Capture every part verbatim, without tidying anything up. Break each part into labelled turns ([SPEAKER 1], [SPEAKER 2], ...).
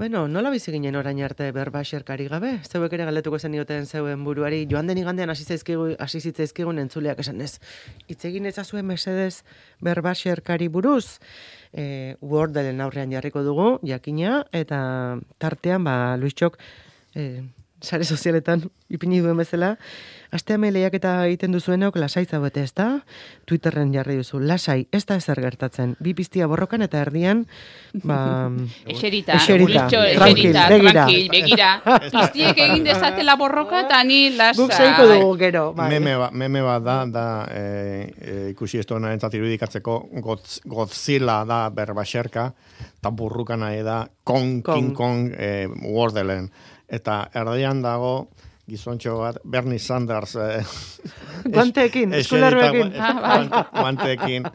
[SPEAKER 1] Bueno, nola bizi ginen orain arte berbaxerkari gabe? Zeuek ere galdetuko zenioten zeuen buruari, joan den igandean hasi zaizkigu, hasi zitzaizkigun entzuleak esan ez. Hitz egin ezazuen mesedez berbaxerkari buruz, e, Wordelen aurrean jarriko dugu, jakina, eta tartean, ba, Luistxok, e, sare sozialetan ipini duen bezala, asteame lehiaketa egiten duzuenok lasai zaudete, ez da? Twitterren jarri duzu, lasai, ez da ezer gertatzen. Bi piztia borrokan eta erdian, ba...
[SPEAKER 2] Eserita,
[SPEAKER 1] eserita,
[SPEAKER 2] Luistxo,
[SPEAKER 1] tranquil,
[SPEAKER 2] eserita,
[SPEAKER 1] begira.
[SPEAKER 2] tranquil, begira. Piztiek egin dezatela borroka, eta ni lasai.
[SPEAKER 1] Guk zeiko dugu gero, bai.
[SPEAKER 3] Meme bat meme ba da, da e, e, ikusi ez duena entzat irudikatzeko Godz, Godzilla da berbaxerka, eta burruka nahi da Kong,
[SPEAKER 1] Kong.
[SPEAKER 3] King Kong e, Wordelen. Eta erdian dago gizontxo bat, Bernie Sanders eh,
[SPEAKER 1] Guanteekin, eskularruekin.
[SPEAKER 3] guante, guanteekin,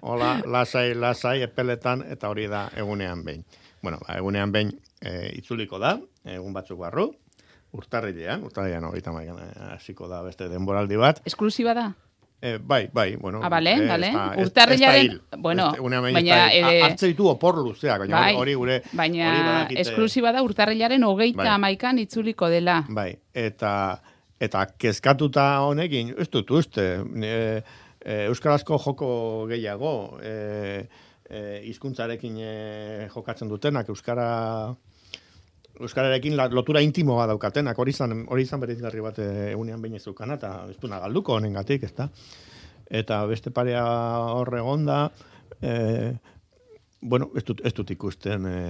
[SPEAKER 3] hola, lasai, lasai, epeletan, eta hori da egunean behin. Bueno, ba, egunean behin e, itzuliko da, egun batzuk barru, urtarrilean, urtarrilean hogeita maikan hasiko da beste denboraldi bat.
[SPEAKER 2] Esklusiba da?
[SPEAKER 3] Eh, bai, bai, bueno.
[SPEAKER 2] Ah, bale,
[SPEAKER 3] eh,
[SPEAKER 2] bale.
[SPEAKER 3] ez da- ez-
[SPEAKER 2] Urtarrilaren,
[SPEAKER 3] ez da hil.
[SPEAKER 2] bueno,
[SPEAKER 3] Ez- egunean behin
[SPEAKER 2] baina,
[SPEAKER 3] ez da hil.
[SPEAKER 2] eh,
[SPEAKER 3] Hartze ditu opor luzeak, baina
[SPEAKER 2] bai,
[SPEAKER 3] hori gure...
[SPEAKER 2] baina
[SPEAKER 3] hori badakite-
[SPEAKER 2] esklusiba da urtarrilaren hogeita
[SPEAKER 3] Bai.
[SPEAKER 2] hamaikan itzuliko dela.
[SPEAKER 3] Bai, eta eta kezkatuta honekin, ez dut uste, e, e, euskarazko joko gehiago, e, e, hizkuntzarekin e, jokatzen dutenak, euskara euskararekin la- lotura intimo bat daukatenak, hori izan, hori izan bereizgarri bat e, egunean behin ez dukana, eta ez duna galduko honengatik, ezta? Eta beste parea hor egonda, e, bueno, ez dut, ez dut ikusten... E,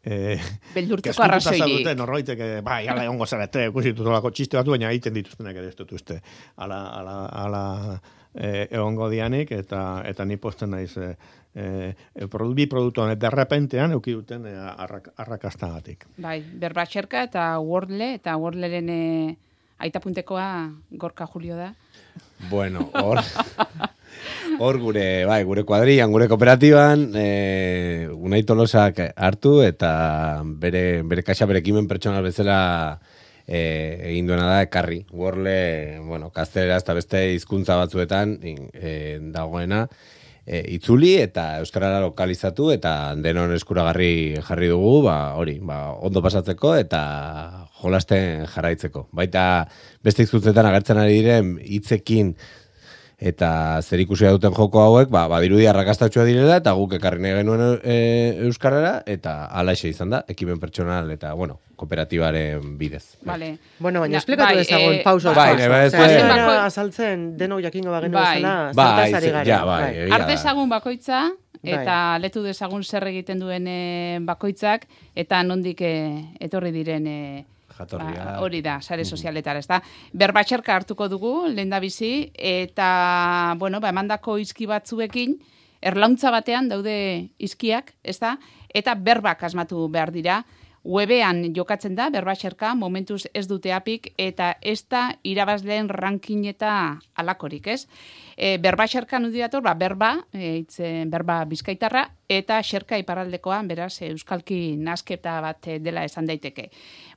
[SPEAKER 3] Eh,
[SPEAKER 2] Beldurtzeko arrazoirik.
[SPEAKER 3] Norbaitek, eh, bai, ala egongo zarete, ikusi dutolako txiste batu, baina egiten dituztenak ere ez dut uste. Ala, ala, ala eh, egongo dianik, eta eta ni posten naiz eh, eh, produ, bi produktu honet derrepentean euki duten eh, arrak, arrakastagatik.
[SPEAKER 2] Bai, berbaxerka eta Wordle, eta Wordleren eh, aitapuntekoa Gorka Julio da.
[SPEAKER 4] Bueno, hor... Hor gure, bai, gure kuadrian, gure kooperatiban, e, Unai Tolosak hartu eta bere, bere kaxa bere ekimen pertsonal bezala e, egin duena da ekarri. Wordle, bueno, gaztelera eta beste hizkuntza batzuetan e, dagoena e, itzuli eta euskarara lokalizatu eta denon eskuragarri jarri dugu, ba, hori, ba, ondo pasatzeko eta jolasten jarraitzeko. Baita beste hizkuntzetan agertzen ari diren hitzekin eta zer ikusia duten joko hauek, ba, badirudi arrakastatxua direla, eta guk ekarri nahi genuen e, euskarara, eta alaxe izan da, ekimen pertsonal, eta, bueno, kooperatibaren bidez.
[SPEAKER 2] Vale.
[SPEAKER 1] Bueno, baina
[SPEAKER 2] Na-
[SPEAKER 1] esplikatu
[SPEAKER 2] bai,
[SPEAKER 1] dezagun,
[SPEAKER 2] eh,
[SPEAKER 1] pausa.
[SPEAKER 4] bai,
[SPEAKER 1] pausa.
[SPEAKER 4] bai,
[SPEAKER 1] Osea,
[SPEAKER 4] bai,
[SPEAKER 1] ez
[SPEAKER 2] bai.
[SPEAKER 1] gara azaltzen, denok jakingo bagenu
[SPEAKER 2] Bai.
[SPEAKER 1] bezala,
[SPEAKER 4] Bai,
[SPEAKER 1] zertaz ari
[SPEAKER 4] ze-
[SPEAKER 1] garen.
[SPEAKER 4] ja, bai,
[SPEAKER 1] Bai.
[SPEAKER 4] egia
[SPEAKER 2] Har
[SPEAKER 4] da.
[SPEAKER 2] dezagun bakoitza, eta
[SPEAKER 1] Bai.
[SPEAKER 2] letu dezagun zer egiten duen eh, bakoitzak, eta nondik eh, etorri diren... eh,
[SPEAKER 4] Jatorria.
[SPEAKER 2] Ba, hori da, sare sozialetara, ez da. Berbatxerka hartuko dugu, lehendabizi, eta, bueno, ba, emandako izki batzuekin, erlauntza batean daude izkiak, ez da, eta berbak asmatu behar dira. Webean jokatzen da, berbatxerka, momentuz ez dute apik, eta ez da irabazleen ranking eta alakorik, ez? E, berbatxerka nundi dator, ba, berba, e, itze, berba bizkaitarra, eta xerka iparraldekoan, beraz, euskalki nasketa bat eh, dela esan daiteke.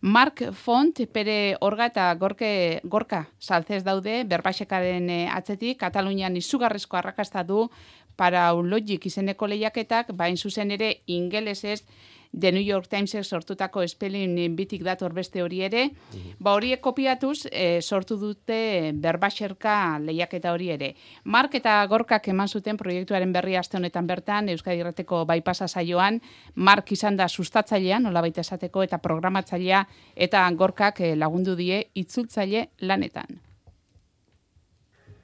[SPEAKER 2] Mark Font, pere orga eta gorke, gorka saltzez daude, berbaxekaren eh, atzetik, Katalunian izugarrezko arrakasta du, Paraulogic izeneko lehiaketak, bain zuzen ere ingelesez, The New York Timesek sortutako spelling bitik dator beste hori ere, ba horiek kopiatuz e, sortu dute berbaxerka lehiaketa hori ere. Mark eta Gorkak eman zuten proiektuaren berri aste honetan bertan, Euskadi Irrateko baipasa saioan, Mark izan da sustatzailea, nolabait esateko, eta programatzailea, eta Gorkak e, lagundu die itzultzaile lanetan.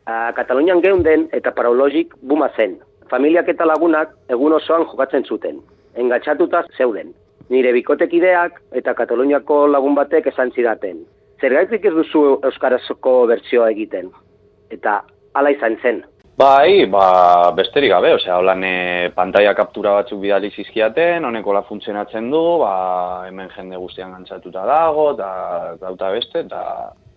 [SPEAKER 5] A Katalunian geunden eta Paraulogic buma zen. Familiak eta lagunak egun osoan jokatzen zuten. Engatxatuta zeuden. Nire bikotekideak eta Kataluniako lagun batek esan zidaten. Zergaitik ez duzu euskarazko bertsioa egiten. Eta hala izan zen.
[SPEAKER 6] Bai, ba, besterik gabe, osea, holan e, pantalla kaptura batzuk bidali zizkiaten, honekola funtzionatzen du, ba, hemen jende guztian gantzatuta dago, eta dauta beste, eta,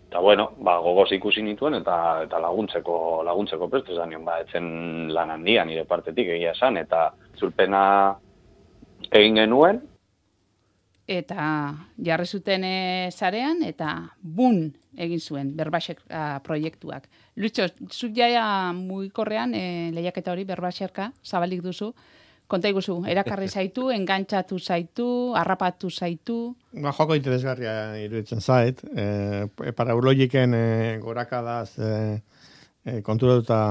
[SPEAKER 6] eta bueno, ba, gogoz ikusi nituen, eta, eta laguntzeko, laguntzeko prest, esan nion, ba, etzen lan handia nire partetik egia esan, eta zulpena egin genuen.
[SPEAKER 2] Eta jarri zuten e, sarean, eta bun egin zuen, berbaxek proiektuak. Luitxo, zuk jaia mugikorrean e, lehiaketa hori berbaxerka, zabalik duzu, Konta iguzu, erakarri zaitu, engantxatu zaitu, harrapatu zaitu.
[SPEAKER 3] Ba, joko interesgarria iruditzen zait. E, paraulogiken e, gorakadaz e, e, konturatuta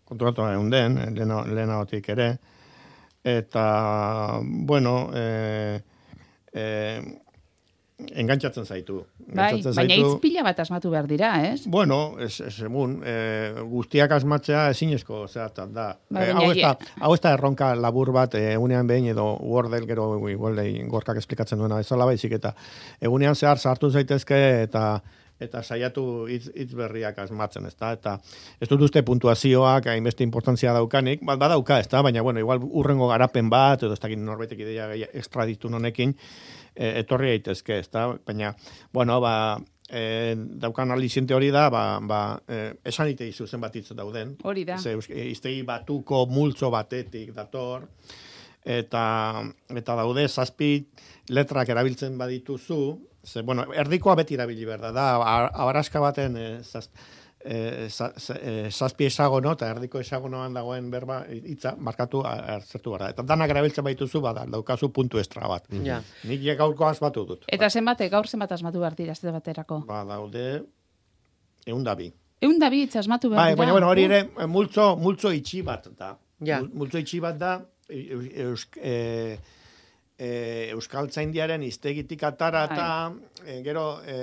[SPEAKER 3] konturatuta egun den, lehenagotik ere. Eta, bueno, e, e, engantzatzen zaitu.
[SPEAKER 2] Bai, baina hitz pila bat asmatu behar dira, ez?
[SPEAKER 3] Bueno, es, es egun, e, guztiak asmatzea ezinezko zehatzat da.
[SPEAKER 2] Ba,
[SPEAKER 3] e, hau, ez da hau ez da erronka labur bat, egunean behin edo Wordel gero igual gorkak esplikatzen duena bezala baizik, eta egunean zehar sartu zaitezke eta eta saiatu hitz, hitz berriak asmatzen, ezta? Eta ez dut uste puntuazioak hainbeste importantzia daukanik, bat badauka, ezta? Baina bueno, igual urrengo garapen bat edo ez dakit norbaitek ideia extra ditu honekin, e, etorri daitezke, ezta? Baina bueno, ba e, daukan aliciente hori da, ba, ba e, esan ite izu zenbat hitz dauden.
[SPEAKER 2] Hori da.
[SPEAKER 3] Ze hiztegi batuko multzo batetik dator. Eta, eta daude zazpi letrak erabiltzen badituzu, ze, bueno, erdikoa beti erabili behar da, da, abaraska baten e, zaz, e, zaz, e, zazpi esagono, eta erdiko esagonoan dagoen berba hitza markatu hartzertu behar da. Eta danak erabiltzen badituzu, bada, daukazu puntu estra bat.
[SPEAKER 1] Ja.
[SPEAKER 3] Nik gaurko asmatu dut.
[SPEAKER 2] Eta zenbate, gaur zenbat asmatu behar dira, ez baterako?
[SPEAKER 3] Ba, daude, egun da bi.
[SPEAKER 2] Egun da bi hitz asmatu behar dira.
[SPEAKER 3] Baina, bueno, hori ere, multzo, multzo itxi bat da.
[SPEAKER 1] Ja.
[SPEAKER 3] Multzo itxi bat da, Eusk, e, e, Euskaltzaindiaren iztegitik atara eta e, gero e,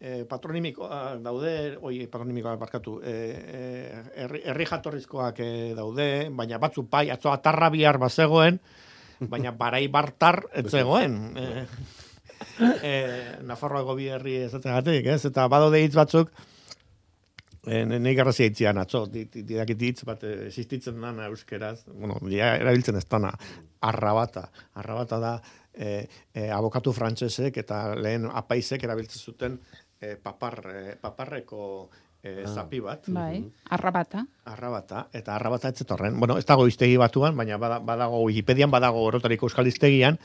[SPEAKER 3] e, patronimikoa daude, oi, patronimikoa barkatu, e, e, herri, herri jatorrizkoak e, daude, baina batzu pai, atzo atarra bihar bazegoen, baina barai bartar ez zegoen. E, e, Nafarroako bi herri ezategatik, ez? Eta badaude hitz batzuk, Nei garrazia hitzian, atzo, didakit hitz bat existitzen dana euskeraz, bueno, dia erabiltzen ez dana, arrabata. Arrabata da e, e, abokatu frantsesek eta lehen apaizek erabiltzen zuten e, papar, e, paparreko e, zapi bat.
[SPEAKER 2] Bai, arrabata.
[SPEAKER 3] Arrabata, eta arrabata ez zetorren. Bueno, ez dago hiztegi batuan, baina badago Wikipedian, badago orotariko euskal hiztegian,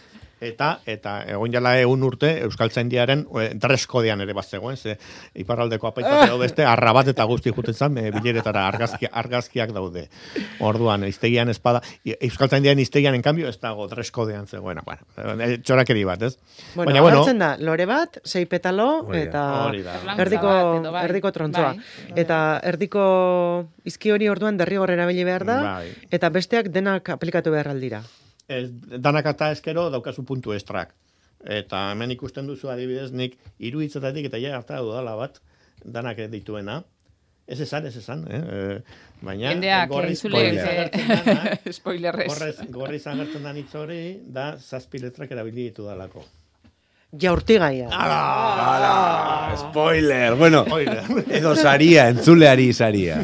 [SPEAKER 3] eta eta egon jala egun urte Euskaltzaindiaren e, dreskodean ere bazegoen, ze iparraldeko apaizak edo beste arrabat eta guzti juten zan, e, bileretara argazki, argazkiak daude. Orduan, hiztegian espada, Euskaltzaindiaren hiztegian, en cambio, ez dago dreskodean zegoena. Bueno, e, txorakeri bat, ez?
[SPEAKER 1] Bueno,
[SPEAKER 3] baina, bueno,
[SPEAKER 1] hartzen da, lore bat, sei petalo, eta erdiko, erdiko trontzoa. Bai. Eta erdiko izki hori orduan derrigor erabili behar da, bai. Eta besteak denak aplikatu behar aldira.
[SPEAKER 3] Ez, danak eta eskero daukazu puntu estrak. Eta hemen ikusten duzu adibidez nik hiru hitzetatik eta ja harta dudala bat danak dituena. Ez esan, ez esan, eh? E, baina
[SPEAKER 2] gorri spoilerrez.
[SPEAKER 3] Gorri zagertzen da hitz hori da zazpi letrak erabili ditu dalako.
[SPEAKER 1] Jaurtigaia.
[SPEAKER 4] Ala, ala, spoiler. Bueno, edo saria, entzuleari saria.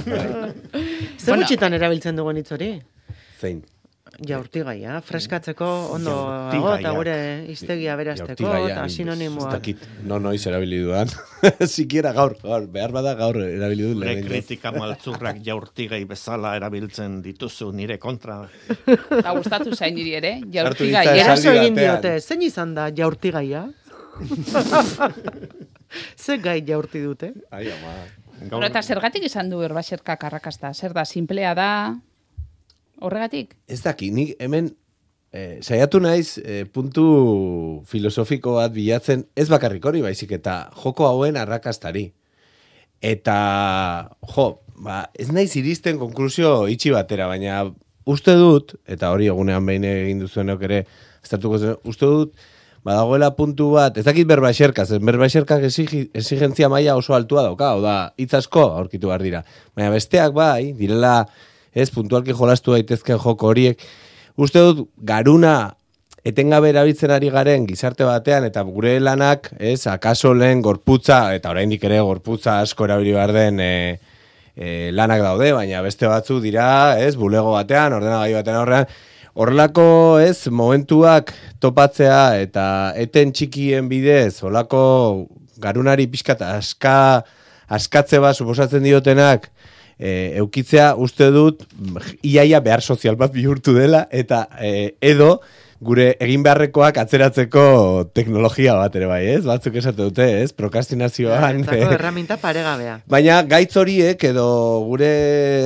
[SPEAKER 1] Zer gutxitan erabiltzen dugun hitz hori?
[SPEAKER 4] Zein?
[SPEAKER 1] Jaurtigaia, freskatzeko ondo dago, eta gure hiztegia berasteko, eta sinonimoak.
[SPEAKER 4] No noiz erabili dudan. Sikiera gaur, gaur, behar bada gaur erabili du.
[SPEAKER 3] Gure kritika maltzurrak jaurtigai bezala erabiltzen dituzu nire kontra.
[SPEAKER 2] Eta gustatu zain niri ere, jaurtigaia.
[SPEAKER 1] Eraso egin diote, zein izan da jaurtigaia? Zer gai jaurti dute?
[SPEAKER 4] Ai, ama.
[SPEAKER 2] Gaur... Eta zergatik izan du Berbaserkak arrakasta? Zer da, simplea da... Horregatik?
[SPEAKER 4] Ez daki, nik hemen eh, saiatu naiz eh, puntu filosofiko bat bilatzen, ez bakarrik hori baizik eta joko hauen arrakastari. Eta, jo, ba, ez naiz iristen konklusio itxi batera, baina uste dut, eta hori egunean behin egin duzuenok ere, uste dut, badagoela puntu bat, ez dakit Berbaserkaz, Berbaserkak exigentzia maila oso altua dauka, hau da, hitz asko aurkitu behar dira. Baina besteak bai, direla, ez, puntualki jolastu daitezken joko horiek. Uste dut, garuna etengabe erabiltzen ari garen gizarte batean, eta gure lanak, ez, akaso lehen gorputza, eta oraindik ere gorputza asko erabili behar den e, e, lanak daude, baina beste batzu dira, ez, bulego batean, ordenagai batean horrean, horrelako, ez, momentuak topatzea, eta eten txikien bidez, horrelako garunari pixkat aska, askatze bat suposatzen diotenak, E, eukitzea uste dut iaia behar sozial bat bihurtu dela eta e, edo gure egin beharrekoak atzeratzeko teknologia bat ere bai, ez? Batzuk esate dute, ez? Prokrastinazioan.
[SPEAKER 1] Entzako erraminta paregabea.
[SPEAKER 4] Baina gaitz horiek edo gure,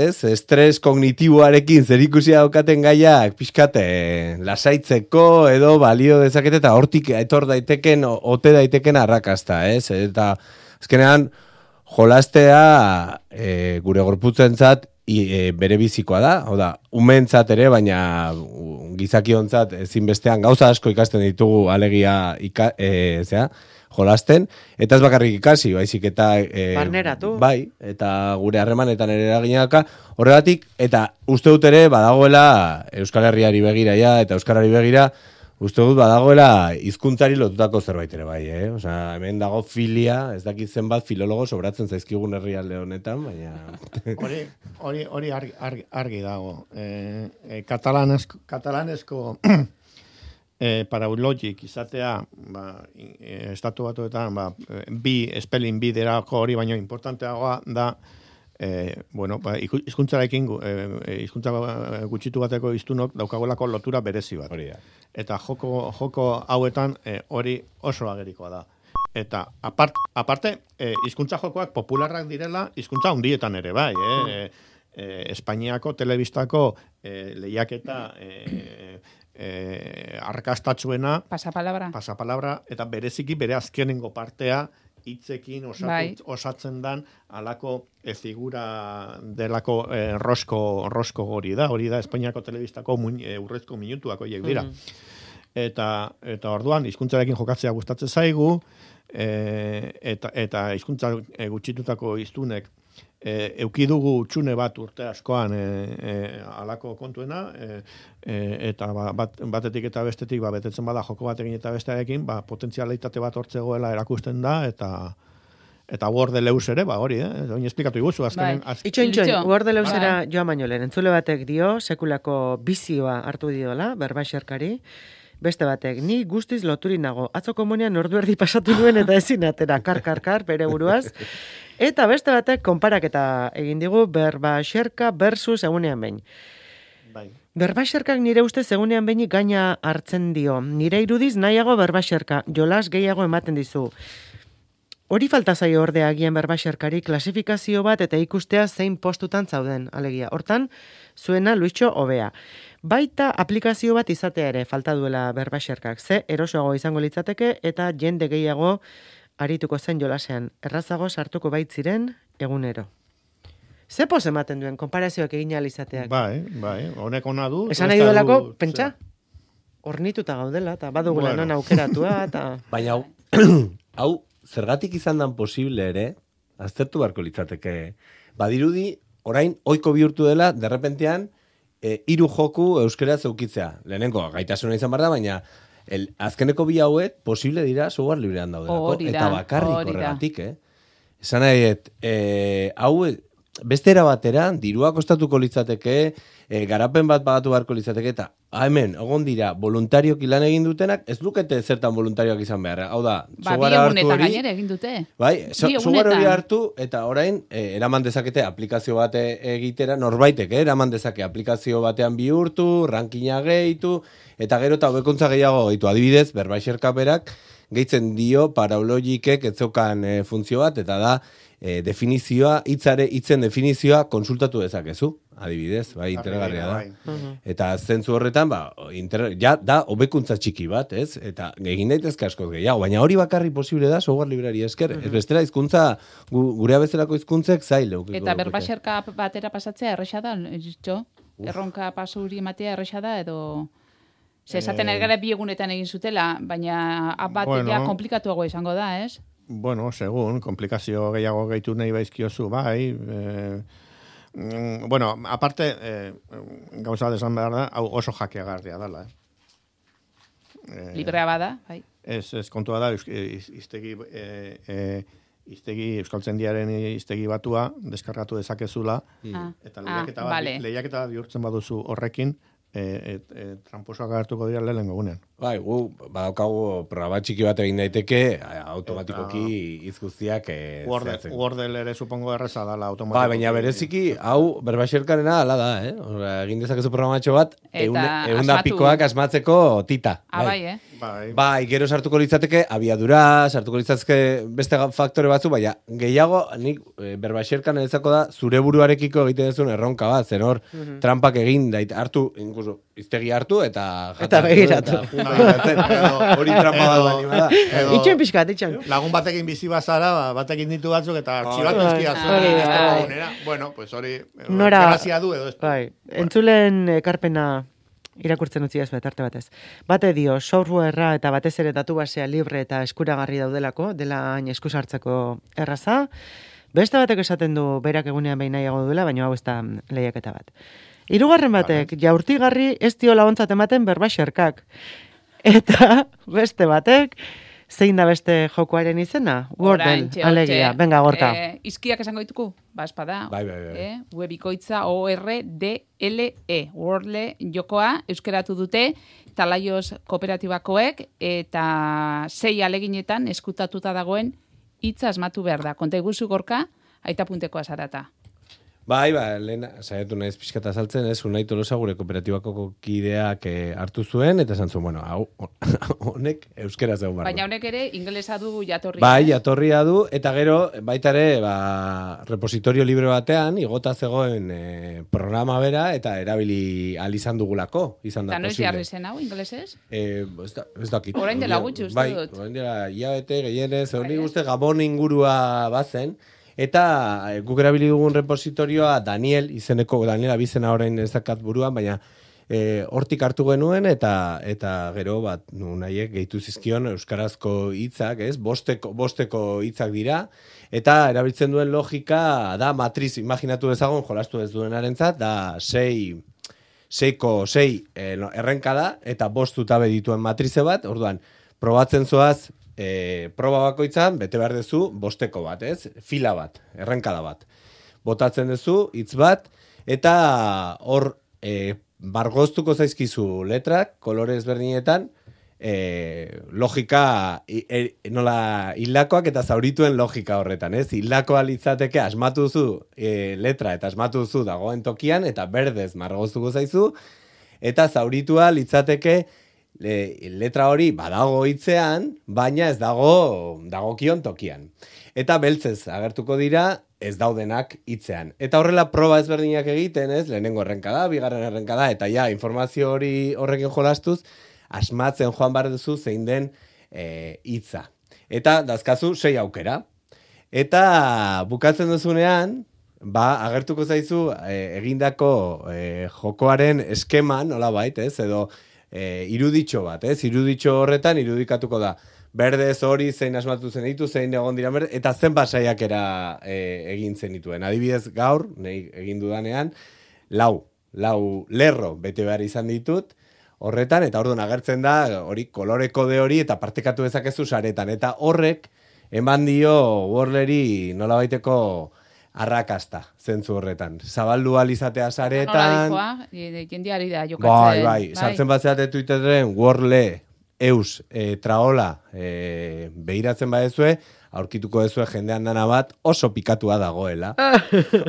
[SPEAKER 4] ez, estres kognitiboarekin zerikusia daukaten gaiak pixkate lasaitzeko edo balio dezakete eta hortik etor daiteken, ote daiteken arrakasta, ez? Eta azkenean jolastea e, gure gorputzentzat I, e, bere bizikoa da, hau da, umentzat ere, baina gizakiontzat ezinbestean gauza asko ikasten ditugu alegia ika, e, zera, jolasten, eta ez bakarrik ikasi, baizik eta e,
[SPEAKER 1] barneratu.
[SPEAKER 4] Bai, eta gure harremanetan ere eraginaka, horregatik, eta uste dut ere badagoela Euskal Herriari begira ja, eta Euskarari begira, uste dut badagoela hizkuntzari lotutako zerbait ere bai, eh? Osea, hemen dago filia, ez dakit zenbat filologo sobratzen zaizkigun herrialde honetan, baina
[SPEAKER 3] hori hori hori argi, argi, argi dago. Eh, eh, katalanesko katalanesko eh paraulogic izatea, ba, eh, estatu batuetan, ba, bi spelling bi derako hori baino importanteagoa da. Eh, bueno, ba, hizkuntzarekin eh, hizkuntza gutxitu bateko hiztunok daukagolako lotura berezi bat.
[SPEAKER 4] Hori da.
[SPEAKER 3] Eta joko joko hauetan eh, hori oso agerikoa da. Eta apart, aparte eh, hizkuntza jokoak popularrak direla hizkuntza handietan ere bai, eh? eh, eh Espainiako telebistako eh, lehiaketa eh, eh, arkastatsuena
[SPEAKER 2] Pasapalabra.
[SPEAKER 3] Pasapalabra eta bereziki bere azkenengo partea hitzekin osatu,
[SPEAKER 2] bai.
[SPEAKER 3] osatzen dan alako e, figura delako e, rosko, rosko hori da, hori da Espainiako telebistako muin, e, urrezko minutuak horiek dira. Mm. Eta, eta orduan, hizkuntzarekin jokatzea gustatzen zaigu, e, eta, eta hizkuntza e, gutxitutako hiztunek e, eukidugu txune bat urte askoan e, e, alako kontuena, e, e, eta ba, bat, batetik eta bestetik ba, betetzen bada joko batekin eta bestearekin, ba, potentzialitate bat hortzegoela erakusten da, eta eta Word Leus ere, ba, hori, eh? Oin esplikatu iguzu, azkenen...
[SPEAKER 2] Bai.
[SPEAKER 3] Az...
[SPEAKER 1] Itxoin, itxoin,
[SPEAKER 2] Itxo.
[SPEAKER 1] Word Leusera
[SPEAKER 2] Bai.
[SPEAKER 1] joan baino lehen, entzule batek dio, sekulako bizioa hartu diola, berbaxerkari, beste batek, ni guztiz loturi nago, atzo komunian ordu erdi pasatu nuen eta ezin atera, kar, kar, kar, bere buruaz, eta beste batek konparaketa egin digu, berbaxerka versus egunean behin.
[SPEAKER 3] Bai.
[SPEAKER 1] Berbaxerkak nire ustez egunean behinik gaina hartzen dio. Nire irudiz nahiago berbaxerka, jolas gehiago ematen dizu. Hori falta zaio ordea agian berbaxerkari klasifikazio bat eta ikustea zein postutan zauden, alegia. Hortan, zuena Luitxo hobea. Baita aplikazio bat izatea ere falta duela berbaxerkak. Ze erosoago izango litzateke eta jende gehiago arituko zen jolasean. Errazago sartuko baitziren egunero. Ze pos ematen duen konparazioak egin ahal izateak?
[SPEAKER 3] Bai, bai, honek ona du.
[SPEAKER 1] Esan nahi duelako, pentsa, hornituta gaudela, eta badugula
[SPEAKER 3] Bueno.
[SPEAKER 1] non aukeratua, eta...
[SPEAKER 4] baina hau, hau zergatik izan dan posible ere, aztertu beharko litzateke. Badirudi, orain, oiko bihurtu dela, derrepentean, e, hiru joku euskera zeukitzea. Lehenengo, gaitasuna izan behar da, baina el, azkeneko bi hauek posible dira software librean daudelako.
[SPEAKER 2] Hori da,
[SPEAKER 4] Eta bakarrik
[SPEAKER 2] hori da.
[SPEAKER 4] horregatik, eh? Esan nahi, et, e, hau beste era batera, dirua kostatuko litzateke, e, garapen bat bagatu beharko litzateke, eta hemen, egon dira, voluntarioki lan egin dutenak, ez lukete zertan voluntarioak izan behar. Hau da,
[SPEAKER 2] Ba, bi
[SPEAKER 4] softwarea hartu
[SPEAKER 2] egunetan
[SPEAKER 4] hori,
[SPEAKER 2] gainera egin dute.
[SPEAKER 4] bai, so,
[SPEAKER 2] Bi
[SPEAKER 4] software hori
[SPEAKER 2] egunetan.
[SPEAKER 4] hartu, eta orain, e, eraman dezakete aplikazio bate egitera, norbaitek, eh, eraman dezake aplikazio batean bihurtu, rankina gehitu, eta gero eta hobekuntza gehiago gehitu. Adibidez, berbaixerka berak, gehitzen dio paraulogikek etzokan e, funtzio bat, eta da, e, definizioa, hitzare, hitzen definizioa konsultatu dezakezu, adibidez, bai, interesgarria da.
[SPEAKER 3] Bai.
[SPEAKER 4] Eta zentzu horretan, ba, inter, ja, da, hobekuntza txiki bat, ez? Eta egin daitezke askoz gehiago, baina hori bakarri posible da, software librari esker. Ez bestela, hizkuntza gu, gure bezalako hizkuntzek zail eukiko
[SPEAKER 2] Eta
[SPEAKER 4] lukete.
[SPEAKER 2] berbaxerka batera pasatzea erresa da, jo? Erronka pasuri ematea erresa da, edo... Ze esaten
[SPEAKER 3] Eh,
[SPEAKER 2] ari gara bi egunetan egin zutela, baina app bat
[SPEAKER 3] Bueno.
[SPEAKER 2] ja komplikatuago izango da, ez?
[SPEAKER 3] Bueno, segun, komplikazio gehiago gehitu nahi baizkiozu, bai. Eh, mm, bueno, aparte, eh, gauza desan behar da, hau oso jakeagarria dela. Eh.
[SPEAKER 2] Librea bada, bai.
[SPEAKER 3] Ez, ez kontua da, eus- iz- iztegi, eh, eh, iztegi, Euskaltzendiaren iztegi batua, deskargatu dezakezula,
[SPEAKER 2] Ah,
[SPEAKER 3] eta
[SPEAKER 2] ah,
[SPEAKER 3] lehiaketa bat,
[SPEAKER 2] vale.
[SPEAKER 3] lehiaketa bat bihurtzen baduzu horrekin, e, et, et, tramposoak agertuko dira lehenengo gunean.
[SPEAKER 4] Bai, gu, badaukagu programa txiki bat egin daiteke, automatikoki hitz guztiak eh, zehatzen.
[SPEAKER 3] Wordle ere supongo erreza dala automatikoki.
[SPEAKER 4] Ba, baina bereziki, hau berbaxerkarena ala da, eh? Ora, egin dezakezu programatxo bat, egun da pikoak asmatzeko tita.
[SPEAKER 2] Ah, bai, eh?
[SPEAKER 3] Bai.
[SPEAKER 4] Bai, gero sartuko litzateke abiadura, sartuko litzateke beste faktore batzu, baina gehiago, nik e, berbaxerkan ezako da, zure buruarekiko egiten duzun erronka bat, zen hor, mm-hmm. trampak egin, dait, hartu, incluso, iztegi hartu, eta...
[SPEAKER 1] Eta begiratu.
[SPEAKER 4] Hori trampa bat bani bada.
[SPEAKER 1] Itxen pixkat, itxen.
[SPEAKER 3] Lagun batekin bizi bazara, batekin ditu batzuk, eta artxibatu ezkia zuen. Bueno, pues hori, grazia du edo ez.
[SPEAKER 1] Bai, entzulen ekarpena irakurtzen utzi ez betarte batez. Bate dio, softwarea eta batez ere datu basea libre eta eskuragarri daudelako, dela hain eskusartzeko erraza. Beste batek esaten du berak egunean behin nahiago duela, baina hau ez da lehiaketa bat. Hirugarren batek, jaurtigarri ez dio laguntzat ematen berbaxerkak. Eta beste batek, zein da beste jokoaren izena? Wordle, alegia. Benga, Gorka.
[SPEAKER 2] Eh, izkiak esango dituku? Ba, espada.
[SPEAKER 4] Bai, bai, bai.
[SPEAKER 2] Eh, webikoitza O R D L E. Wordle jokoa euskeratu dute Talaios kooperatibakoek eta sei aleginetan eskutatuta dagoen hitza asmatu behar da. Konta iguzu, Gorka, aita puntekoa zarata.
[SPEAKER 4] Bai, ba, lehen, saiatu naiz pixkata saltzen, ez, Unai Tolosa gure kooperatibako kideak eh, hartu zuen, eta esan zuen, bueno, hau, honek euskera zegoen barro.
[SPEAKER 2] Baina honek ere, ingelesa du jatorria.
[SPEAKER 4] Bai, jatorria du, eta gero, baita ere, ba, repositorio libre batean, igota zegoen eh, programa bera, eta erabili alizan dugulako, izan da
[SPEAKER 2] posible. Eta noiz jarri zen hau, ingelesez?
[SPEAKER 4] Eh, ez, da, ez dakit.
[SPEAKER 2] Orain dela gutxi, uste
[SPEAKER 4] bai,
[SPEAKER 2] dut.
[SPEAKER 4] Orain dela, iabete, gehienez, hori guzti Gabon ingurua bazen, eta e, guk erabili dugun repositorioa Daniel, izeneko, Daniel abizena orain ezakat buruan, baina e, hortik hartu genuen, eta eta gero bat nunaiek gehitu zizkion euskarazko hitzak, ez? Bosteko, bosteko hitzak dira, eta erabiltzen duen logika da matriz, imaginatu dezagon, jolastu ez duenarentzat, da sei, seiko, sei e, no, errenka da, eta bost zutabe dituen matrize bat, orduan, probatzen zoaz, E, proba bakoitzan, bete behar dezu, bosteko bat, ez? Fila bat, errenkada bat. Botatzen dezu, hitz bat, eta hor e, bargoztuko zaizkizu letrak, kolore ezberdinetan, e, logika, e, nola hildakoak eta zaurituen logika horretan, ez? Hildakoa litzateke asmatu duzu e, letra eta asmatu duzu dagoen tokian, eta berdez margoztuko zaizu, eta zauritua litzateke Le, letra hori badago hitzean, baina ez dago dagokion tokian. Eta beltzez agertuko dira ez daudenak hitzean. Eta horrela proba ezberdinak egiten, ez? Lehenengo errenkada, bigarren errenkada, eta ja, informazio hori horrekin jolastuz, asmatzen joan behar duzu zein den e, hitza. Eta dazkazu sei aukera. Eta bukatzen duzunean, ba, agertuko zaizu e, egindako e, jokoaren eskeman, nola bait, ez? Edo E, iruditxo bat, ez? Iruditxo horretan irudikatuko da. Berdez hori zein asmatu zen ditu, zein egon dira berde, eta zen basaiakera e, egin zen dituen. Adibidez gaur, nahi egin dudanean, lau, lau lerro bete behar izan ditut, horretan, eta orduan agertzen da, hori kolore kode hori, eta partekatu dezakezu saretan. Eta horrek, eman dio Wordleri nola baiteko arrakasta, zentzu horretan. Zabaldu alizatea saretan.
[SPEAKER 2] Nola dijoa, jendiari da jokatzen.
[SPEAKER 4] Bai, bai, sartzen bat zeate Twitteren, Wordle, eus, e, traola, e, behiratzen badezue, aurkituko dezue jendean dana bat, oso pikatua dagoela.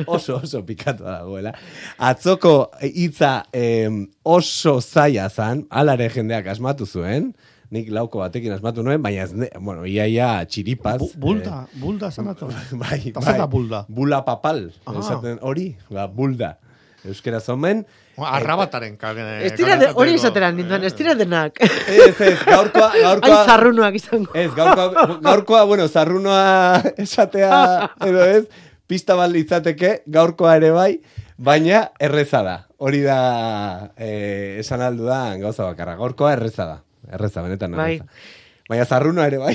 [SPEAKER 4] oso, oso pikatua dagoela. Atzoko hitza e, oso zaila zan, alare jendeak asmatu zuen, nik lauko batekin asmatu nuen, baina ez, ne, bueno, iaia txiripaz.
[SPEAKER 3] Bu, bulda, eh, bulda zanatu.
[SPEAKER 4] Bai,
[SPEAKER 3] bai. bulda.
[SPEAKER 4] Bula papal, esaten hori, ba, bulda. Euskera zomen.
[SPEAKER 3] Arrabataren kage.
[SPEAKER 1] Hori esateran ninduan, ez tira denak.
[SPEAKER 4] Ez, ez, gaurkoa, gaurkoa.
[SPEAKER 1] Ai, zarrunoak izango.
[SPEAKER 4] Ez, gaurkoa, gaurkoa, bueno, zarrunoa esatea, edo ez, pista bat litzateke, gaurkoa ere bai, baina erreza da. Hori da, eh, esan aldu da, gauza bakarra. Gaurkoa erreza da. Erreza, benetan erreza. Bai. Baina zarruna ere bai.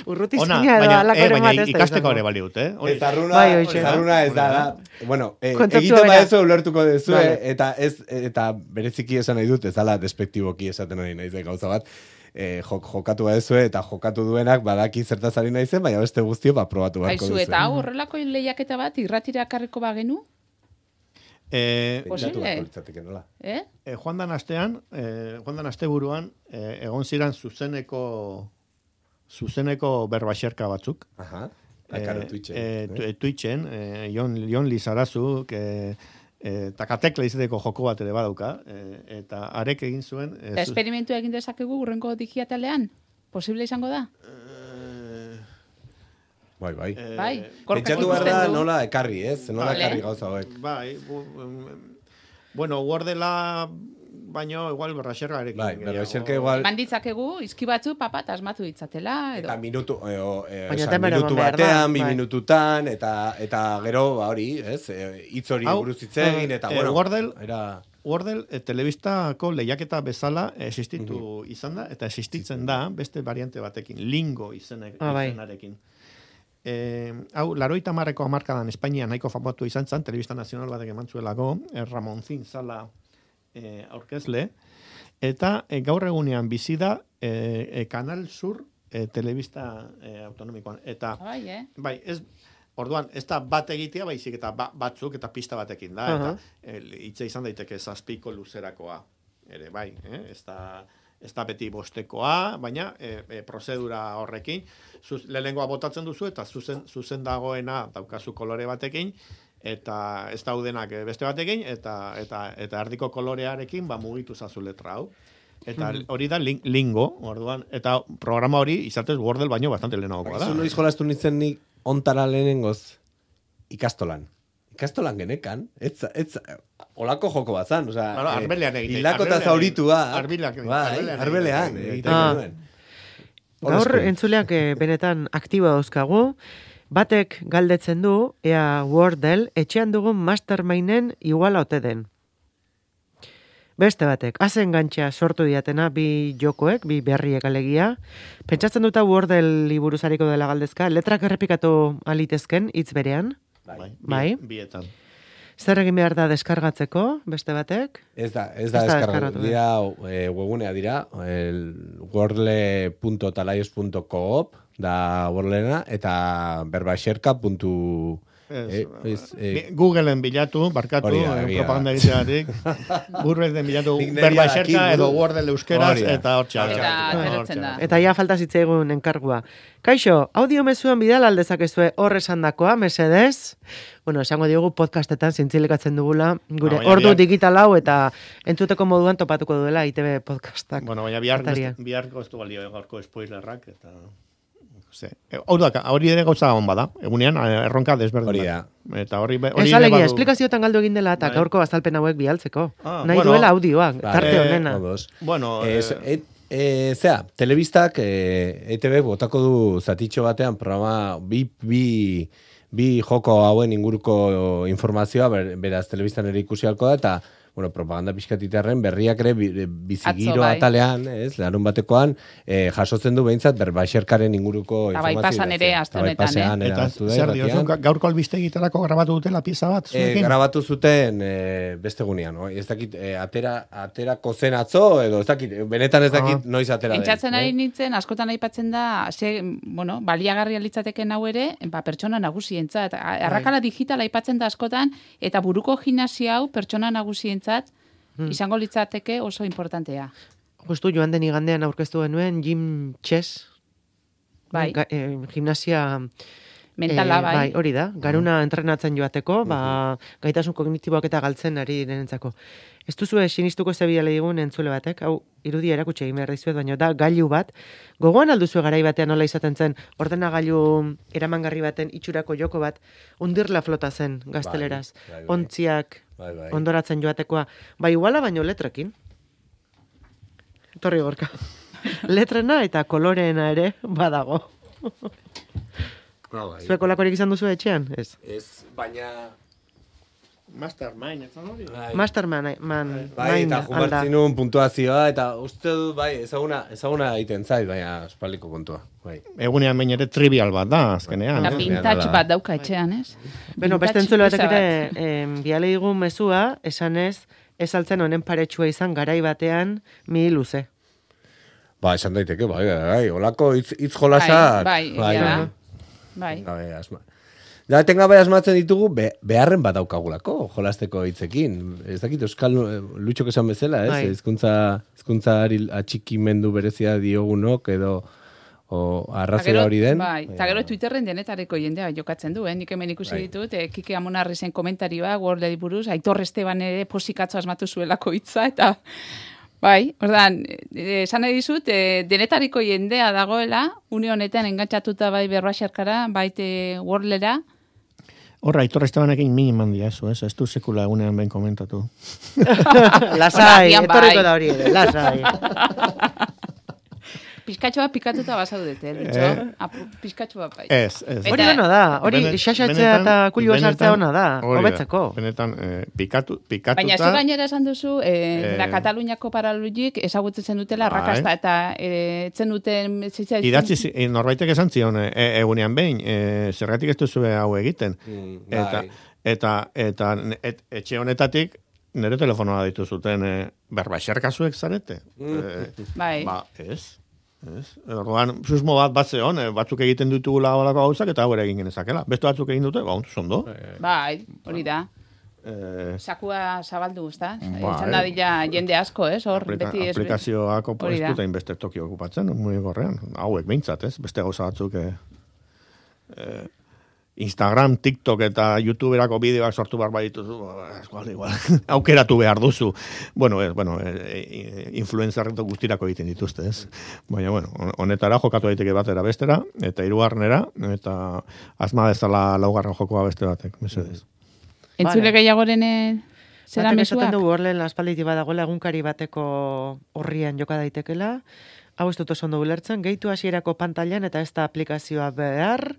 [SPEAKER 1] Urruti zina edo alakoren bat ez da.
[SPEAKER 3] Ikasteko ere baliut, eh?
[SPEAKER 4] Ez zarruna, bai, zarruna ez da. da. Bueno, eh, egiten badezu ulertuko dezu, vale. eta ez eta bereziki esan nahi dut, ez dala despektiboki esaten nahi naiz gauza bat. Eh, jok, jokatu badezu eta jokatu duenak badaki zertaz ari naizen, baina beste guztio ba probatu beharko duzu.
[SPEAKER 2] Aizu, eta hau horrelako lehiaketa bat irratira karriko bagenu?
[SPEAKER 3] Eh,
[SPEAKER 4] Pentsatu
[SPEAKER 2] Posible.
[SPEAKER 4] beharko litzateke nola.
[SPEAKER 2] Eh?
[SPEAKER 3] eh, joan dan astean, eh, joan dan asteburuan, eh, egon ziren zuzeneko zuzeneko berbaxerka batzuk.
[SPEAKER 4] Aha. Akaro, Twitchen.
[SPEAKER 3] Eh, tu- eh, Twitchen, eh, Jon, Jon Lizarazuk, eh, eh, takatekla izateko joko bat ere badauka, eh, eta arek egin zuen... Eh, zu-
[SPEAKER 2] Esperimentu egin dezakegu urrengo digitalean? Posible izango da?
[SPEAKER 3] eh,
[SPEAKER 4] Bai, bai.
[SPEAKER 3] eh,
[SPEAKER 2] Bai, Gorkak
[SPEAKER 4] Pentsatu behar
[SPEAKER 2] ikusten
[SPEAKER 4] da
[SPEAKER 2] du.
[SPEAKER 4] nola ekarri, ez? Nola
[SPEAKER 2] Vale.
[SPEAKER 4] ekarri gauza hauek.
[SPEAKER 3] Bai, bu, um, bueno, Wordela baino igual berraxergarekin.
[SPEAKER 4] Bai,
[SPEAKER 3] gehiago.
[SPEAKER 4] berbaxerka igual...
[SPEAKER 2] Eman ditzakegu, izki batzu papa asmatu ditzatela, edo.
[SPEAKER 4] Eta minutu, e, o, e,
[SPEAKER 1] Baina
[SPEAKER 4] oza,
[SPEAKER 1] temero
[SPEAKER 4] minutu
[SPEAKER 1] eman behar da,
[SPEAKER 4] batean, bi
[SPEAKER 1] bai.
[SPEAKER 4] minututan, eta eta gero, ba, hori, ez? E, hitz hori
[SPEAKER 3] Hau,
[SPEAKER 4] buruz hitz egin, eta,
[SPEAKER 3] eh,
[SPEAKER 4] bueno,
[SPEAKER 3] Wordle-
[SPEAKER 4] era...
[SPEAKER 3] Wordle e, telebistako lehiaketa bezala existitu izan da, eta existitzen da beste variante batekin, lingo izenek,
[SPEAKER 1] Ah, bai.
[SPEAKER 3] izenarekin. Eh, hau, laroita marreko hamarkadan Espainia nahiko famatu izan zen, telebista nazional batek eman zuelako, eh, Ramonzin zala eh, aurkezle, eta eh, gaur egunean bizi da eh, eh, Kanal Sur eh, telebista eh, autonomikoan. Eta,
[SPEAKER 2] Bai, eh?
[SPEAKER 3] bai, ez, orduan, ez da bat egitea, baizik eta ba, batzuk eta pista batekin da,
[SPEAKER 1] Aha.
[SPEAKER 3] eta eh, hitza izan daiteke zazpiko luzerakoa, ere bai, eh? ez da... ez da beti bostekoa, baina e, e, prozedura horrekin, zuz, lehenengoa botatzen duzu, eta zuzen, zuzen dagoena daukazu kolore batekin, eta ez daudenak beste batekin, eta eta eta erdiko kolorearekin ba mugitu zazu letra hau. Eta hori da lin, lingo, orduan, eta programa hori izatez Wordle baino bastante lehenagoa da.
[SPEAKER 4] Zu noiz jolastu nintzen nik ontara lehenengoz ikastolan. Ikastolan genekan, ez, ez, olako joko bat zan, oza,
[SPEAKER 3] Bueno, arbelean egite-
[SPEAKER 4] hildakota
[SPEAKER 3] arbelean
[SPEAKER 4] zauritua,
[SPEAKER 3] arbelean-
[SPEAKER 4] bai,
[SPEAKER 3] arbelean
[SPEAKER 4] arbelean,
[SPEAKER 3] egite-
[SPEAKER 4] egiten
[SPEAKER 1] Ah.
[SPEAKER 4] genuen.
[SPEAKER 1] Gaur
[SPEAKER 4] Horrezko.
[SPEAKER 1] entzuleak eh, benetan aktibo dauzkagu. Batek galdetzen du, ea Wordle etxean dugun masterminden iguala ote den. Beste batek, hazen gantxa sortu diatena bi jokoek, bi berriek alegia. Pentsatzen duta Wordle liburuzariko dela galdezka, letrak errepikatu alitezken hitz berean.
[SPEAKER 3] Bai,
[SPEAKER 1] Bai.
[SPEAKER 3] bi- bietan.
[SPEAKER 1] Zer egin behar da deskargatzeko, beste batek?
[SPEAKER 4] Ez da, ez da
[SPEAKER 1] Ez da
[SPEAKER 4] deskargatu.
[SPEAKER 1] deskargatu,
[SPEAKER 4] Dira, e, webgunea dira, el wordle punto talayos punto coop da Wordlena, eta berbaxerka.
[SPEAKER 3] Ez,
[SPEAKER 4] Eh, ez, eh,
[SPEAKER 3] Bi- Googleen bilatu, barkatu,
[SPEAKER 4] Hori da,
[SPEAKER 3] eh,
[SPEAKER 4] egia
[SPEAKER 3] propaganda
[SPEAKER 4] da.
[SPEAKER 3] egiteatik. Googleen bilatu
[SPEAKER 4] Nik niri
[SPEAKER 3] berbaxerka
[SPEAKER 4] dakit,
[SPEAKER 3] edo
[SPEAKER 4] buru.
[SPEAKER 3] Wordle euskeraz,
[SPEAKER 4] Hori da.
[SPEAKER 3] eta hortxe.
[SPEAKER 2] Eta
[SPEAKER 3] hortxe,
[SPEAKER 2] ateratzen
[SPEAKER 3] hortxe.
[SPEAKER 2] da.
[SPEAKER 1] Eta ja falta zitzaigun enkargua. Kaixo, audio mezuan bidal aldezakezue hor esandakoa, mesedez. Bueno, esango diogu podcastetan zintzilekatzen dugula, gure
[SPEAKER 3] Ah, baina
[SPEAKER 1] ordu
[SPEAKER 3] bihar-
[SPEAKER 1] digital hau eta entzuteko moduan topatuko duela I T B podcastak.
[SPEAKER 3] Bueno, baina bihar,
[SPEAKER 1] Atarian.
[SPEAKER 3] biharko ez du balio gaurko spoilerrak, eta... Ze, hau da, hori ere gauza hon bada, egunean eh, erronka desberdin.
[SPEAKER 4] Hori
[SPEAKER 3] da. Eta hori, be- hori
[SPEAKER 1] Ez
[SPEAKER 3] ere
[SPEAKER 1] alegia,
[SPEAKER 3] badu-
[SPEAKER 1] esplikazioetan galdu egin dela eta
[SPEAKER 3] Bai.
[SPEAKER 1] gaurko azalpen hauek bialtzeko.
[SPEAKER 3] Ah,
[SPEAKER 1] Nahi
[SPEAKER 3] bueno.
[SPEAKER 1] duela audioa,
[SPEAKER 4] Bai.
[SPEAKER 1] tarte
[SPEAKER 3] Eh,
[SPEAKER 1] honena.
[SPEAKER 4] Odos.
[SPEAKER 3] Bueno,
[SPEAKER 4] Ez,
[SPEAKER 3] eh,
[SPEAKER 4] et, e, zera, telebistak e, E T B botako du zatitxo batean programa bi, bi, bi joko hauen inguruko informazioa, ber, beraz telebistan ere ikusi halko da, eta bueno, propaganda pixkatiterren berriak ere bi- bizigiro
[SPEAKER 2] Atzo, bai.
[SPEAKER 4] atalean, ez, larun batekoan, e, jasotzen du behintzat berbaixerkaren inguruko
[SPEAKER 2] Eta bai
[SPEAKER 4] informazioa.
[SPEAKER 2] pasan ere,
[SPEAKER 4] idatzia.
[SPEAKER 2] aste
[SPEAKER 4] Eta bai
[SPEAKER 2] honetan,
[SPEAKER 4] pasean
[SPEAKER 2] eh?
[SPEAKER 4] ere
[SPEAKER 3] eta
[SPEAKER 4] agertu da
[SPEAKER 3] zer
[SPEAKER 4] irratian.
[SPEAKER 3] diozu, ga- gaurko albiste egiterako grabatu dutela pieza bat,
[SPEAKER 4] E,
[SPEAKER 3] zuekin?
[SPEAKER 4] grabatu zuten e, beste gunean, no? Ez dakit, e, atera, aterako zen atzo, edo ez dakit, benetan ez dakit
[SPEAKER 1] Ah.
[SPEAKER 4] noiz atera den.
[SPEAKER 2] Entzatzen
[SPEAKER 4] eh?
[SPEAKER 2] ari nintzen, askotan aipatzen da, ze, bueno, baliagarria litzateken hau ere, ba, pertsona nagusientzat. A- Arrakala digitala aipatzen da askotan, eta buruko gimnasia hau pertsona nagusientzat izango litzateke oso importantea.
[SPEAKER 1] Justu joan den igandean aurkeztu genuen Jim Chess,
[SPEAKER 2] Bai.
[SPEAKER 1] Ga- eh, gimnasia
[SPEAKER 2] Mentala,
[SPEAKER 1] eh,
[SPEAKER 2] bai.
[SPEAKER 1] hori da, garuna entrenatzen joateko, ba, gaitasun kognitiboak eta galtzen ari direnentzako. Ez duzu sinistuko zebiale digun entzule batek, hau irudia erakutsi egin behar dizuet, baina da gailu bat, gogoan alduzu garai batean nola izaten zen, ordenagailu eramangarri baten itxurako joko bat, undirla flota zen gazteleraz,
[SPEAKER 4] Bai, bai, bai.
[SPEAKER 1] ontziak
[SPEAKER 4] Bai, bai.
[SPEAKER 1] ondoratzen joatekoa, bai iguala baino letrekin. Torri gorka. Letrena eta koloreena ere badago.
[SPEAKER 4] Ah, bai.
[SPEAKER 1] Zuek olakorik izan duzu etxean? Ez.
[SPEAKER 4] Ez, baina...
[SPEAKER 3] Mastermind, ez da hori?
[SPEAKER 4] Bai,
[SPEAKER 1] Masterman, man,
[SPEAKER 4] bai
[SPEAKER 1] mind
[SPEAKER 4] eta
[SPEAKER 1] alda.
[SPEAKER 4] jugartzen nuen puntuazioa, eta uste dut, bai, ezaguna, ezaguna egiten zait, baina espaliko puntua. Bai.
[SPEAKER 3] Egunean bain ere trivial bat da, azkenean.
[SPEAKER 2] Eta
[SPEAKER 3] eh?
[SPEAKER 2] vintage
[SPEAKER 4] Hala.
[SPEAKER 2] bat dauka etxean, ez?
[SPEAKER 1] Beno, beste
[SPEAKER 2] Vintage
[SPEAKER 1] entzule batek
[SPEAKER 2] pieza
[SPEAKER 1] ere,
[SPEAKER 2] bat.
[SPEAKER 1] em, biale digun mezua, esanez, ez altzen honen paretsua izan garai batean mi luze.
[SPEAKER 4] Ba, esan daiteke, bai, bai, bai, olako hitz, hitz jolasak.
[SPEAKER 2] Bai, bai, egia da. Bai.
[SPEAKER 4] Bai, asma. Da, etengabe asmatzen ditugu, be, beharren bat daukagulako, jolasteko hitzekin. Ez dakit, Euskal Lutxok esan bezala, ez?
[SPEAKER 1] Bai.
[SPEAKER 4] Hizkuntza hizkuntzari atxikimendu berezia diogunok, edo o, arrazera hori den.
[SPEAKER 2] Bai, eta gero Twitterren denetareko jendea jokatzen du, eh? Nik hemen ikusi
[SPEAKER 4] Bai.
[SPEAKER 2] ditut, eh, Kike Amonarri zen komentarioa, Wordleri buruz, Aitor Esteban ere posikatzo asmatu zuelako hitza, eta bai, ordan, esan nahi dizut, e, denetariko jendea dagoela, une honetan engantzatuta bai berbaxarkara, baite Wordlera.
[SPEAKER 3] Horra, Aitor Estebanekin miniman dia, eso, ez, ez du sekula egunean ben komentatu.
[SPEAKER 1] Lasai,
[SPEAKER 2] Agian bai.
[SPEAKER 1] etorriko da hori ere, lasai.
[SPEAKER 2] Pizkatxoa pikatuta basaudete, Lutxo.
[SPEAKER 3] Eh.
[SPEAKER 2] Apu, Pizkatxoa bai.
[SPEAKER 3] Ez, ez.
[SPEAKER 2] Eta-
[SPEAKER 1] Hori ona da, hori
[SPEAKER 3] Benet-
[SPEAKER 1] xaxatzea
[SPEAKER 3] benetan-
[SPEAKER 1] eta kulua sartzea
[SPEAKER 3] benetan-
[SPEAKER 1] ona da,
[SPEAKER 3] hori
[SPEAKER 1] hobetzeko.
[SPEAKER 3] Benetan, eh, pikatu, pikatuta...
[SPEAKER 2] Baina zu gainera esan duzu, e,
[SPEAKER 3] Eh.
[SPEAKER 2] la Kataluniako paralujik ezagutzen dutela
[SPEAKER 3] Bai.
[SPEAKER 2] rakasta eta e, etzen duten... zitza-
[SPEAKER 3] Idatzi, zi- eh, norbaitek esan zion, e, egunean behin, e, zergatik ez duzu hau egiten.
[SPEAKER 4] Mm,
[SPEAKER 3] Eta,
[SPEAKER 4] bai.
[SPEAKER 3] eta, eta et, etxe honetatik, nire telefonoa ditu zuten, e, berbaxerkazuek zarete. E,
[SPEAKER 2] Bai.
[SPEAKER 3] Ba, ez. Ez. Orduan, susmo bat bat zeon, eh, batzuk egiten ditugula holako gauzak, eta hau ere egin genezakela. Beste batzuk egin dute, ba, ondo.
[SPEAKER 2] Bai, hori da.
[SPEAKER 3] Eh,
[SPEAKER 2] Sakua zabaldu, ezta?
[SPEAKER 3] Bai.
[SPEAKER 2] Izan da dila jende asko, ez? Hor,
[SPEAKER 3] aplika,
[SPEAKER 2] beti ez...
[SPEAKER 3] aplikazioak opo
[SPEAKER 2] Hori
[SPEAKER 3] ez
[SPEAKER 2] da.
[SPEAKER 3] dute inbeste toki okupatzen, muy gorrean. Hauek behintzat, ez? Beste gauza batzuk... Eh, eh, Instagram, TikTok eta YouTuberako bideoak sortu behar badituzu, igual, igual, aukeratu behar duzu. Bueno, ez, bueno, e, influenzarreto guztirako egiten dituzte, ez? Baina, bueno, honetara jokatu daiteke batera bestera, eta hirugarrenera, eta asma dezala laugarren jokoa beste batek, mesedez.
[SPEAKER 2] Entzule
[SPEAKER 1] Vale.
[SPEAKER 2] gehiagoren eh, zera
[SPEAKER 1] Batek esaten
[SPEAKER 2] mesuak?
[SPEAKER 1] dugu horlen aspalditik badagoela egunkari bateko horrian joka daitekela. Hau ez dut oso ondo ulertzen, gehitu hasierako pantailan eta ez da aplikazioa behar,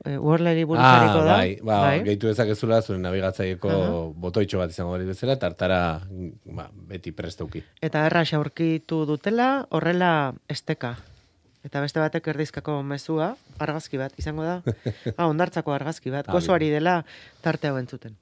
[SPEAKER 1] e, Wordleri buruzariko
[SPEAKER 4] Ah,
[SPEAKER 1] da.
[SPEAKER 4] bai, ba, gehitu dezakezula zure nabigatzaieko botoitxo bat izango hori bezala, tartara ba, beti prestauki.
[SPEAKER 1] Eta erraz aurkitu dutela, horrela esteka. Eta beste batek erdizkako mezua, argazki bat izango da. Ah, ondartzako argazki bat,
[SPEAKER 4] Ah,
[SPEAKER 1] gozoari dela tarte hau entzuten.